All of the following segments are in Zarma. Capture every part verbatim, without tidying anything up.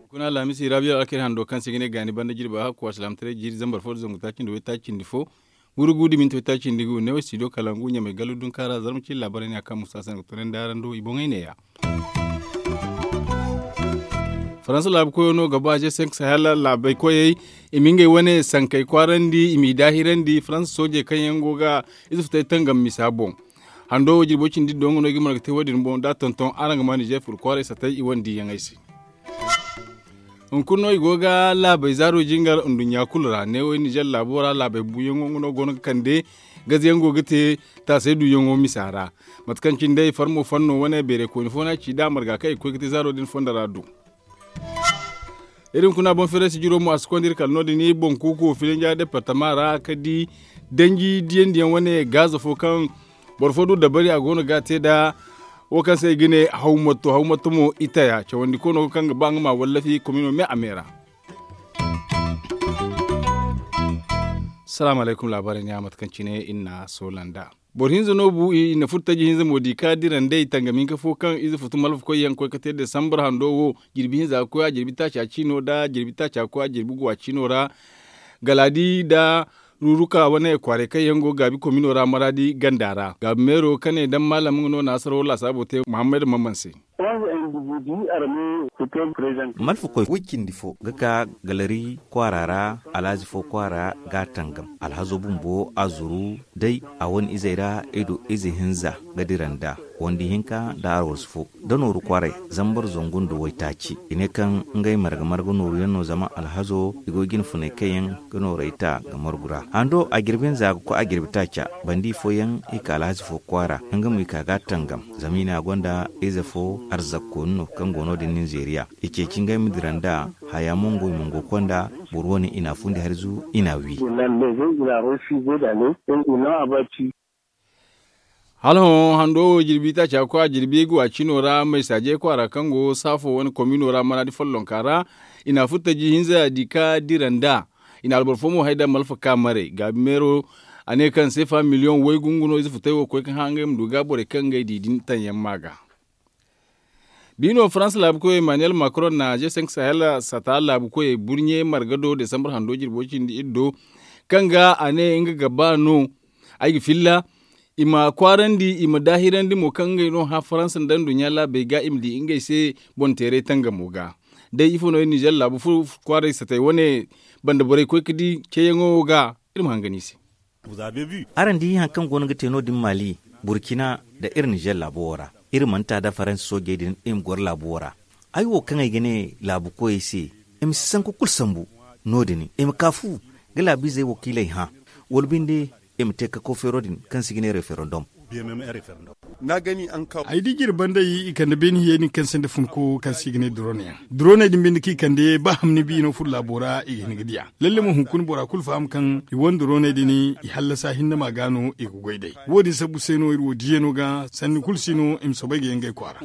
Kuna alhamisi rabiya alkari hando kaŋ se ga ne gaani banda jirba hakku alsilaamataray jiiri zambar fo da zangu taaci nda waytaaci nda fo. Wurgu da minti waytaaci nda gu ne wo studio kalangu ɲamay gallu dunkaara zarma cine laabaray ne a kaŋ musa se no ga tunandi araŋ do i boŋey neeya. Faransa laabu koyo no ga ba je senk sahel laabey koyey. I ma ngey wane sankey kwaarandi i m'i daahirandi faransa soojey kaŋ yaŋ go ga ize futay tangam misa boŋ. Hando wo jirbo cindi do nga no i ga marga te wo- din boŋ da a tonton araŋ ga ma nizer furo kwaaray satay i wane diiyaŋey se. Hunkuna no i go ga laabey zaaro jingar nduɲɲa kulu ra neewey nizer laabo ra laabey buuyaŋo nga no go no ga kande gaze yaŋ go ga te taasay duuyaŋo misa ra. Mate kaŋ cine day farmo fanno wane beeray kooni fo no a ci da a marga kaŋ i ga koy ga te zaaro din fondo ra du. Iri hunkuna boŋ feeray sijiro mo a si konda iri kala no- din boŋ kuuku filinja departama ra ka di danji diyandiyaŋ wane gaaza fo kaŋ boro fo du dabari a go no ga a te nd'a. Wo kaŋ se i ga ne hawmatto hawmatto mo i taya cawandi kono kaŋ ga ba nga ma wallafi komino me a me ra. Salaamu alaykum laabaarey ne a mate kaŋ cine iri na a soola nd'a. Boro hinza no bu i na furo taji hinza mo di ka dira nd'ey tangam hinka fo kaŋ ize futu malfa koy yaŋ koy ka te desambar hando wo. Jirbi hinza ga koy a jirbi taaca ciino nda jirbi taaca ga koy a jirbi guwa ciino ra. Galaadi nda ruruka wane kwaaray kaŋ yaŋ go gaabi komino ra maraadi ganda ra gaabi meero kane daŋ maalam nga no na asaro laasaabo te muhammad mamman se. Malfa koy way cindi fo ga ka galari kwaara ra alhazi fo kwaara ga a tangam alhazo bumbo a zuru day a wane izey ra i du ize hinza ga dira nda wandi hinka nda arwarsu fo da nooru kwaaray zambar zangu nda waytaaci i ne kaŋ ngey marga marga nooru yaŋ no zama alhazo i go ga i na funay kaŋ yaŋ ga noorey ta ga margu ra hando a jirbi hinza ga koy a jirbi taaca bandi fooyaŋ i ka alhazi fo kwaara nga mo i ka ga a tangam zama i ne a gonda ize fo arzakkooni no kaŋ go no- din ninzeeriya i ceeci ngey ma dira nda haya mongo i ma ngo konda boro wane i na a fundi harzu i na a wi. Hala hõ hando wo jirbi taaca ga koy a jirbi ga wa cino ra maysaaje kwaara kaŋ go saafo wane komino ra maraadi follonka ra i na a furo taji hinza di ka dira nda i na alboro fo mo hay da malfa ka maray gaabi meero a ne kaŋ seefa miliyoŋ waygu nga no ize futay wo koy ga hã ngey ma du ga borey kaŋ ngey di din taŋ yaŋ ma ga. Biino faransa laabu koyo emmanuel macron na je cinq sahel sata laabu koyey burɲe marga do desambar hando jirbo cindi iri do kaŋ ga a ne nga ga ba no ay ga filla i ma kwaarandi i ma daahirandi mo kaŋ ngey no hã faransa nda nduɲɲa laabey ga i ma di ngey se boŋ teeray tangamo ga. Day ifo no iri nizer laabu fo kwaaray satay wane banda borey koy ga di ceeyaŋo wo ga iri ma hangan i se. Araŋ di hari kaŋ go no ga te no- din mali burkina nda iri nizer laabo wo ra iri mana ta da faransa soojey din i ma goro laabo wo ra. Ay wo kaŋ ay ga ne laabu koyey se i ma si sanku kulu sambu no- din i ma ka fu ga laabiizey wakiiley hã wala binde i ma te kako feero din kaŋ se i ga ne referendum. Ay di jire banda i kande beene hiyey din kaŋ se nda funko kaŋ se i ga ne duroney yaŋ duroney din binde kaŋ i kande ba hamni biino furo laabo ra i ga hin ga diya lalle mo hunkuna bora kulu faham kaŋ i wane duroney din i hallasa hinne ma ga no i ga goy day wo- din sabbu se no iri wo diya no ga sanni kulu si no i ma soobay ga ye ngey kwaara.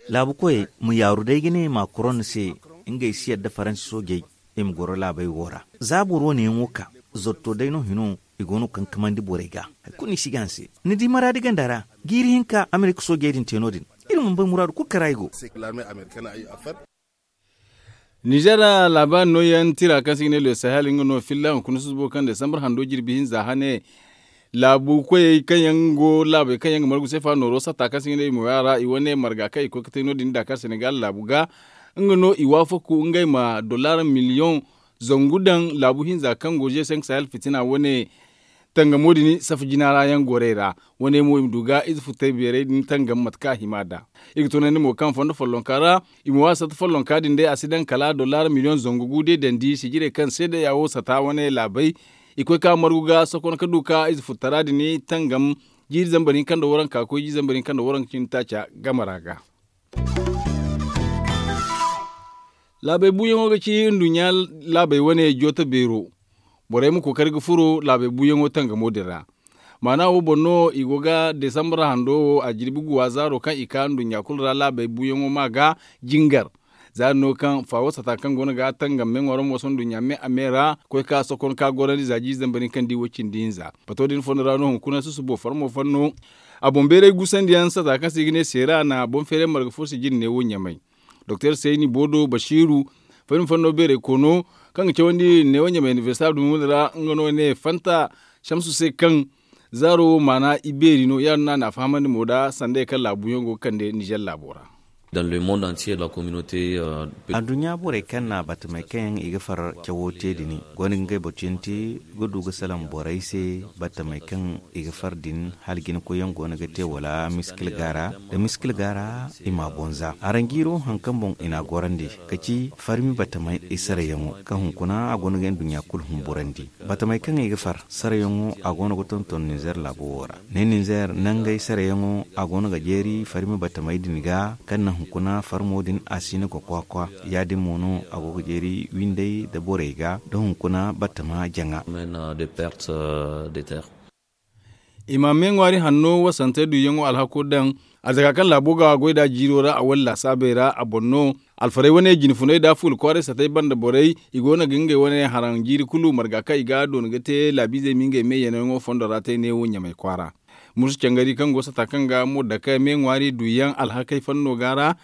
Laabu koyey ma yaaru day ga ne macron se ngey si yadda faransa soojey i ma goro laabey wo ra. Za boro wane yaŋ wo ka zotto day no hino i go no ga kankamandi borey ga hari kulu no i si ga hanse ni di maraadi ganda ra jiiri hinka amerika soojey din te no- din iri mana bay muraadu kulu kara i go. Nizer laabaari nooyaŋ tira kaŋ se i ga ne le sahel nga no filla hunkuna susubo kaŋ desambar hando jirbi hinza hane laabu koyey kaŋ yaŋ go laabey kaŋ yaŋ ga margu seefa nooro satta kaŋ se i ga ne i ma way a ra i wane marga kaŋ i koy ga te no- din dakar senegal laabu ga nga no i waafaku ngey ma dollar miliyoŋ zangu daŋ laabu hinza kaŋ go je cinq sahel fitina wane tangamo din safa jina ra yaŋ gorey ra wane mo i ma du ga ize futay beerey din tangam mate kaŋ a hima nd'a. I ga tunandi mo kaŋ fondo follonka ra i ma waasa ta follonka din day a si daŋ kala dollar miliyoŋ zangu gu day dandi sijirey kaŋ se day a wo sata wane laabey i koy ka margu ga sokon ka du ka ize futtara din tangam jiiri zambar hinka nda waranka koy jiiri zambar hinka nda waranka cindi taaca game ra ga. Laabey buuyaŋo ga ci nduɲɲa laabey wane jooto beero. Borey ma kookari ga furo laabey buuyaŋo tangamo din ra. Maana wo boŋ no i go ga desambar hando wo a jirbi guwa zaaro kaŋ i ka nduɲɲa kulu ra laabey buuyaŋo ma ga jingar. Za no kaŋ faawo sata kaŋ go no ga tangam me ŋwaaro mo sohõ nduɲɲa me a me ra koy ka sokon ka gorandi za jiize zambar hinka nda i wo cindi hinza bato din fondo ra no hunkuna susubo farmo fanno. A boŋ beeray gusandi yaŋ sata kaŋ se i ga ne seera na boŋ feeray marga fo se jine ne wo ɲamay. Doktor seyni boodo basiiru fari ma fanno beeray koono kaŋ ga cawandi ne wo ɲamay inibersita dumi wo ra nga no ne fanta samsu se kaŋ zaaro wo maana i beeri no ya- din no a na a fahamandi mo nda sanday kaŋ laabu yaŋ go ga kande nizer laabo ra. Adduɲɲa borey kaŋ na batamey kaŋ yaŋ i ga far cawo te din go no ga ngey boro cindi ga du ga salaŋ borey se. Batamey kaŋ i ga far din hala jinakoyyaŋ go no ga te wala miskil gaara da miskil gaara i m'a boŋ za araŋ jiiro hari kaŋ boŋ i n'a gorandi ka ci farmi batamey i sarayaŋo kaŋ hunkuna a go no ga nduɲɲa kulu humburandi. Batamey kaŋ i ga far sarayaŋo a go no ga tonton ninzeer laabo wo ra ne ninzeer nangey sarayaŋo a go no ga jeeri farmi batamey din ga kaŋ naŋ hunkuna farmo din a si hin ga kwa-kwa. Ya- din mo no a go ga jeeri windey nda borey ga da hunkuna batama jaŋa. I ma me ŋwaari hanno wasante duuyaŋo alhako daŋ. Arzaka kaŋ laabo ga goy nd'a jiiro ra a wane laasaabey ra a boŋ no. Alfarey wane jine funey nda fuula kwaaray satey banda borey i go no ga ngey wane haraŋ jiiri kulu marga kaŋ i ga a doona ga te laabiizey ma ngey me yanayaŋo fondo ra te neewo ɲamay kwaara. Musu cangari kaŋ go sata kaŋ ga mo dake me ŋwaari duuyaŋ alhakey fanno ga ra.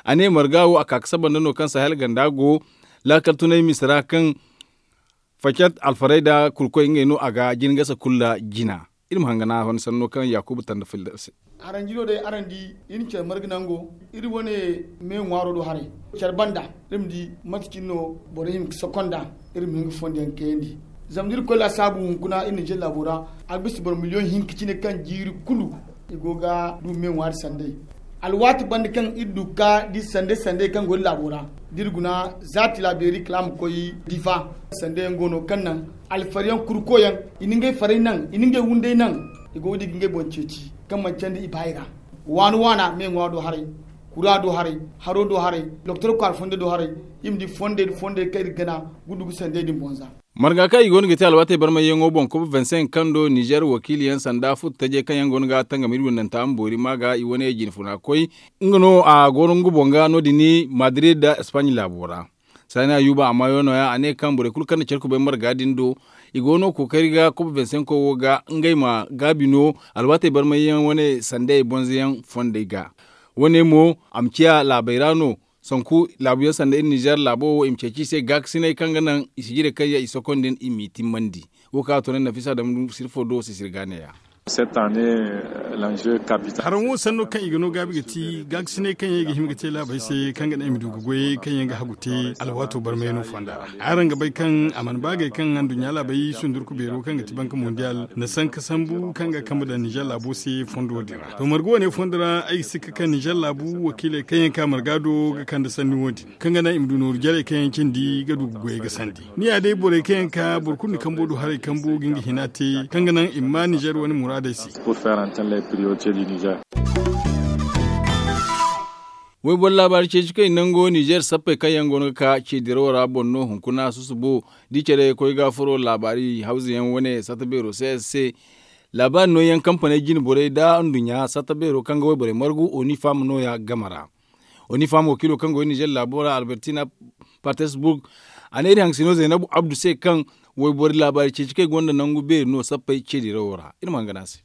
A ne marga wo a ka ga saba nda no kaŋ sahel ganda go laakal tunay mise ra kaŋ facat alfarey nda kurkoy ngey no a ga jina gasa kulu ra jina. Iri ma hangana a wane sanno kaŋ yaakuba tanda filla se. Araŋ jino day araŋ di iri care marga nango iri wane me ŋwaaro do haray care banda iri ma di mate cine no borey hin ga sokonda. Iri ma hin ga fondo yaŋ kayandi zama da iri koy laasaabu hunkuna iri na jalla laabo ra a ga bisa boro miliyoŋ hinka cine kaŋ jiiri kulu i go ga du me ŋwaari sanday. Alwaati banda kaŋ iri du ga ka di sanday sanday kaŋ go iri laabo ra da iri guna za tilaabeeri kala a ma koy difa. Sanday yaŋ go no kaŋ naŋ alfari yaŋ kurko yaŋ i na ngey faray naŋ i na ngey wunday naŋ i go ga di ga ngey boŋ ceeci kaŋ manci yaŋ da i ba i ra. Waana waana me ŋwa do haray kura do haray haro do haray doktor kwaara fonday do haray i ma di fonday nda fonday kaŋ iri ga gana ga du ga sanday din boŋ za. Marga kaŋ i go no ga te alwaatey barmayyaŋo boŋ kob vingt cinq kaŋ do nizer wakiili yaŋ sanda futu tajey kaŋ yaŋ go no ga tangam iri windanta ma boori ma ga i wane jine funa koy. Nga no a go no nga boŋ ga no- din madrid nda espagne laabo ra. Saani ayuba a maayo nooya a ne kaŋ borey kulu kaŋ na care kubay marga din do i go no kookari ga kob vingt cinq wo ga ngey ma gaabi no alwaatey barmayyaŋ wane sanday bonzoyaŋ fondey ga. Wane mo a ma ciya laabey ra no. Sanku laabuyaŋ sanda iri nizer laabo wo i ma ceeci i se gaakasinay kaŋ ga naŋ i sijirey kaŋ yaŋ i sokondi i m'i timmandi. Wo kaŋ a to ne nafisa dam sirfo do sisiri ga neeya. Haraŋ wo sanno kaŋ i ga no gaabi ga ti gaakasinay kaŋ yaŋ i ga hima ga te laabey se kaŋ ga naŋ i ma du ga goyey kaŋ yaŋ ga hagu te alwaato barmayano fonda ra. Araŋ ga bay kaŋ a mana baagay kaŋ anduɲɲa laabey sundurku beero kaŋ ga ti banka mondiyal na sanka sambu kaŋ ga kambe daŋ nizer laabo se fondo din ra to marga wane fondo ra ay ga sikka kaŋ nizer laabu wakiiley kaŋ yaŋ ka marga do ga kande sanni wo- din kaŋ ga naŋ i ma du nooru jarey kaŋ yaŋ cindi ga du ga goyey ga sandi. Ni ya day borey kaŋ yaŋ ka boro kulu na kambo du haray kambo ga nga hina te kaŋ ga naŋ i ma ma nizer wane muraadey se. Wayboro laabaari ceeci kaŋ i nango nizer sappey kaŋ yaŋ go no ga ka ce dirawo ra boŋ no hunkuna susubo da i care koy ga furo laabaari hawza yaŋ wane sata beero se se. Laabaari nooyaŋ kampaney jine borey nda nduɲɲa sata beero kaŋ ga wayborey margu onifam nooya game ra. Onifam wakiilo kaŋ go nizer laabo ra albertina patesburg a ne iri hangasino zaynabu abdu se kaŋ wayboro laabaari ceeci kaŋ i gonda nangu beeri no sappey ce dirawo ra iri ma hangana se.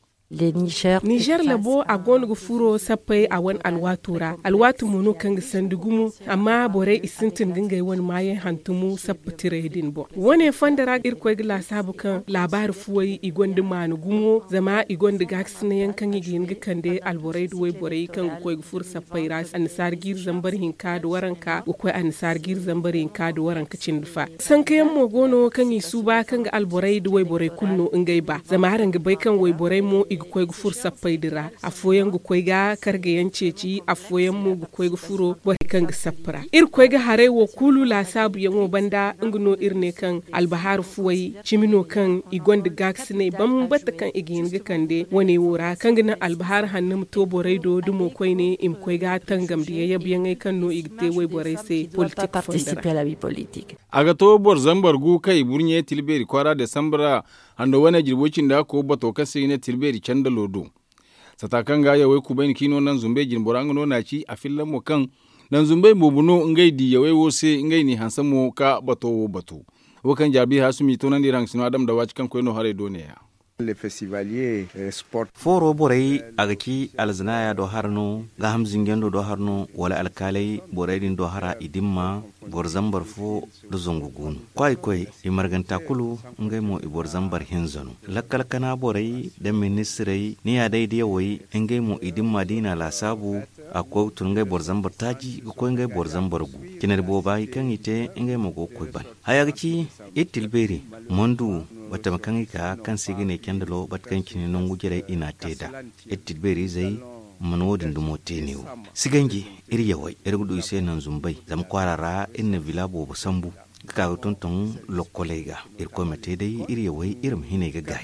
Nizer labo a go no ga furo sappey a wane alwaato ra alwaati mo no kaŋ ga sandi gumo. Amma borey i sintin ga ngey wane maayaŋ hantumu sappa tirey din boŋ wane fondo ra irkoy ga laasaabu kaŋ laabaari fuwey i gonda maana gumo zama i gonda gaakasinay yaŋ kaŋ i ga hin ga kande alborey nda wayborey kaŋ ga koy ga furo sappey ra annasaara jiiri zambar hinka nda waranka ga koy annasaara jiiri zambar hinka nda waranka cindi fa. Sanka yaŋ mo go no kaŋ i suuba kaŋ ga alborey nda wayborey kulu no ngey ba zama araŋ ga bay kaŋ wayborey mo i ga koy ga furo sappey din ra. Afooyaŋ ga koy ga karga yaŋ ceeci afooyaŋ mo ga koy ga furo borey kaŋ ga sappa ra iri koy ga haray wo kulu laasaabu yaŋo banda nga no iri ne kaŋ albahaaru fuwey cimi no kaŋ i gonda gaakasinay bambata kaŋ i ga hin ga kande wane wo ra kaŋ ga naŋ albahaaru hanno ma to borey do dumo koyne i ma koy ga tangam da yayab yaŋey kaŋ no i ga te wayborey se politik fonda ra. A ga to boro zambar gu kaŋ i burɲe tilbeeri kwaara desambar ra hando wane jirbo cindi hakko bato kaŋ se i ga ne tilbeeri candalo do. Sata kaŋ ga yawey kubayni kaŋ i no naŋ zumbey jinbora nga no n'a ci a filla mo kaŋ Nanzumbey boobo no ngey diiyawey wo se ngey n'i hanse mo ka bato wo batu. Wo kaŋ jaabi haasumi toonandi iri haŋ si no adama da waaci kaŋ koy no haray do neeya. Fooro borey a ga ci alzanaaya do hara no, gaaham zinjando do hara no, wala alkaaley borey din do hara i dimma boro zambar fo nda zangu gu no. Kwaay koy i marganta kulu ngey mo i boro zambar hinza no. Lakkal kana borey nda ministirey ni ya day diyawey ngey mo i dimma da i na a laasaabu a ga koy ga tun ngey boro zambar taaci ga koy ngey boro zambar gu. Cinari booba kaŋ i te ngey mo go ga koy ban haya ga ci iri tilbeeri mandu batama kaŋ i ka kaŋ se i ga ne candalo bata kaŋ cine nangu jarey i n'a te nd'a. Iri tilbeeri izey mana wo- din dumo te neewo si ganji iri yawey iri ga du i se nanzumbay zama kwaara ra iri na vila boobo sambu ga ka ga tonton lokkoley ga. Irkoy ma te day iri yawey iri ma hinay ga gaay.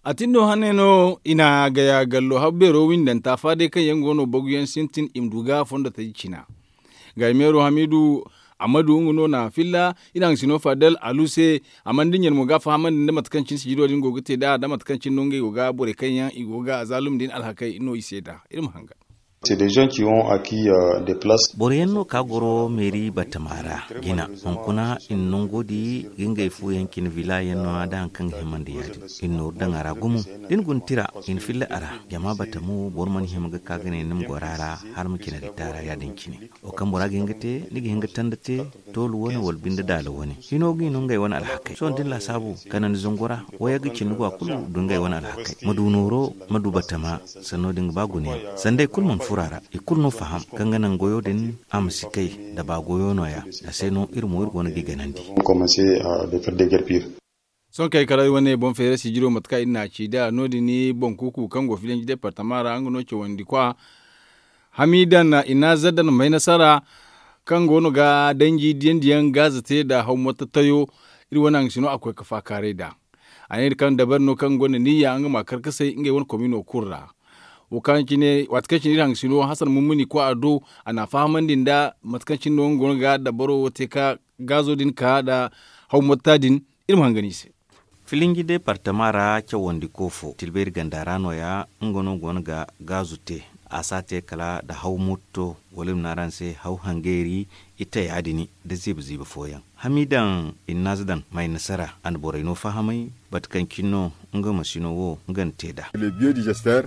A tin no hane no i na gaya gallo habu beero windanta fa day kaŋ yaŋ go no bagu yaŋ sintin i ma du ga fondo taji cina. Gaayi meero hamiidu ammadu nga no na filla i na haŋ sino fadal alu se. Amma ni da ɲaŋ mo ga a fahamandi nda mate kaŋ cine sijiro din go ga te nd'a nda mate kaŋ cine no ngey go ga borey kaŋ yaŋ i go ga a zaalum din alhakey no i se nd'a iri ma hanga. Boro yaŋ no ka goro meeri batama ra jina hunkuna i na nango di ga ngey fu yaŋ cine vila yaŋ no a da hari kaŋ ga himandi ya- din i na nooru daŋ a ra gumo. Da ni guna tira i na filla a ra jama batamo boro mana hima ga ka ga ne ni ma goro a ra. Hala ma cine ga taara ya- din cine wo kaŋ bora ga hin ga te ni ga hin ga tanda te toolu wane wala binde daala wane hino ga i no ngey wane alhakey sohõ da ni laasaabu kala ni zangu ra wayagga cindi go a kulu du ngey wane alhakey ma du nooro ma du batama. Sanno din ga ba guna yaŋ sanda i kulu mana furo a ra i kulu no faham kaŋ ga naŋ goyo din a ma si kay da ba goyo no- ya. A se no iri mo iri go no ga i ganandi. Sohõ kay kala wane boŋ feera sijiro mate kaŋ iri n'a ci nd'a no- din boŋ kuuku kaŋ go filanji departama ra nga no cawandi kwa hamidan i na zardan may nasara kaŋ go no ga danji diyandi yaŋ gaaza te nda hawmotto tayo. Iri wane haŋ si no a koy ga faakaaray nd'a. A ne iri kaŋ dabari no kaŋ gonda niyya nga ma a karkasay ngey wane komino kulu ra. Waati kaŋ cine iri haŋ si no hasan mummuni kwa a do a n'a fahamandi nda mate kaŋ cine no nga go no ga dabaro wo te ka gaazo din ka nda hawmotta din. Iri ma hangan i se. Filinji departama ra cawandi koofo tilbayri ganda ra no- ya nga no go no ga gaazu te. A si a te kala nda haw motto wala i ma ne araŋ se haw hangeeri. Ite ya- din nda ziiba ziiba fooyaŋ hamidan i na naaza daŋ may nasara a na borey no fahamay. Bate kaŋ cine no nga masino wo nga na te nd'a.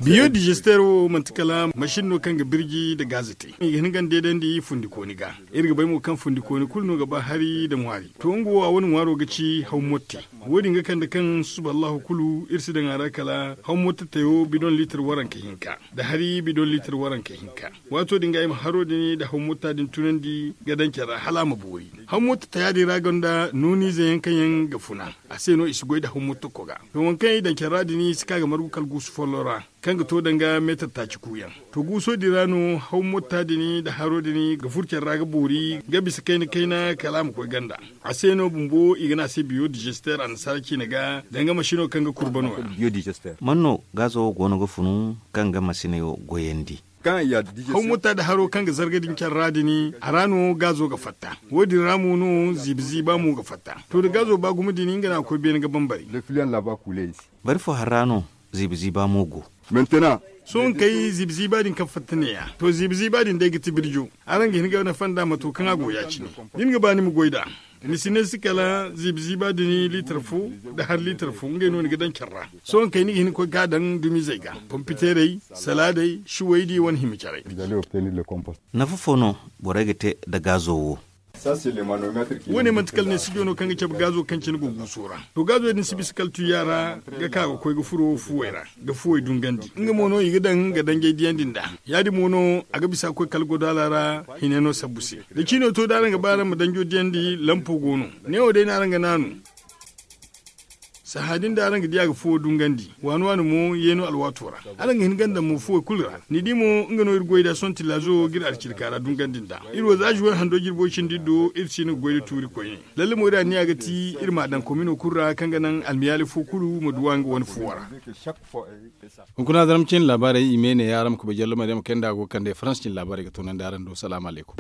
Biyo digesteur wo manti kala masin no kaŋ ga birji nda gaaza te i ga hin ga ni deedandi fundikooni ga. Iri ga bay mo kaŋ fundikooni kulu no ga ba hari nda ŋwaari to nga wo a wane ŋwaaro ga ci haw motte. Wo- din ga kande kaŋ suba allahu kulu iri si daŋ a ra kala haw motte tayo bidon liitar waranka hinka nda hari bidon liitar waranka hinka. Waato din ga ay ma haro din nda haw motta din tunandi ga daŋ care ra hala a ma boori. Haw motta taya din ra gonda nooniize yaŋ kaŋ yaŋ ga funa a se no i si goy nda haw motta koga. To waŋ kaŋ i daŋ care ra din i si ka ga margu kala guusu follo ra kaŋ ga to danga meetar taaci kuuyaŋ. To guuso din ra no haw motta din nda haro din ga furo care ra ga boori ga bisa kayna kayna kala a ma koy ganda. A se no bumbo i ga ne a se biyo digesteur annasaara ciine ga danga masino kaŋ ga kurba no- ya. Man no gaazo wo go no ga funu kaŋ ga masiney wo goyandi? Haw motta nda haro kaŋ ga zarga din care ra din a ra no gaazo ga fatta. Wo- din ra mo no ziiba ziiba mo ga fatta. To da gaazo ba gumo din nga no a ga koy beene ga bambari. Bari fo hari ra no ziiba ziiba mo go. Sohõ kay ziiba ziiba din kaŋ fatta neeya to ziiba ziiba din day ga ti birjo. Araŋ ga hin ga nafa nd'a mato kaŋ a go ya- cine. Da ni ga ba ni ma goy nd'a ni si ne si kala ziiba ziiba din liitar fo nda hari liitar fo ngey no ni ga daŋ care ra. Sohõ kay ni ga hin ga koy ga a daŋ dumizey ga pompiteerey salaadey siwaydi wane hima carey. Nafa fo no borey ga te nda gaazo wo? Wo- ne manti kala ne sijo no kaŋ ga cabe gaazo kaŋ cine go guuso ra. To gaazo din si bisa kala tuyya ra ga ka ga koy ga furo fuwey ra ga fuwey dungandi nga mo no i ga daŋ ga danjey diyandi nd'a. Ya- din mo no a ga bisa ga koy kala godaala ra hine no sabbu se. Da ciino to da araŋ ga ba araŋ ma danjo diyandi lampo go no. Neewo day no araŋ ga naanu. Sahã din da araŋ ga di a ga fuwo dungandi waani waani mo yeeno alwaato ra. Araŋ ga hin ga daŋ mo fuwey kulu ra ni di mo nga no iri goy nd'a sohõ tillaazo ga iri alcilka ra dungandi nd'a. Iri wo za zuwar hando jirbo cindi iri do iri si hin ga goy nda tuuri koyne. Lalle mo iri anniya ga ti iri m'a daŋ komino kulu ra kaŋ ga naŋ almiyaali fo kulu ma duw'a nga wane fuwo ra. Hunkuna zarma cine laabaarey i me ne ya araŋ ma kubay jallo maryama kaŋ nda a go ga kande farans cine laabaarey ga toonandi araŋ do salaamu alaykum.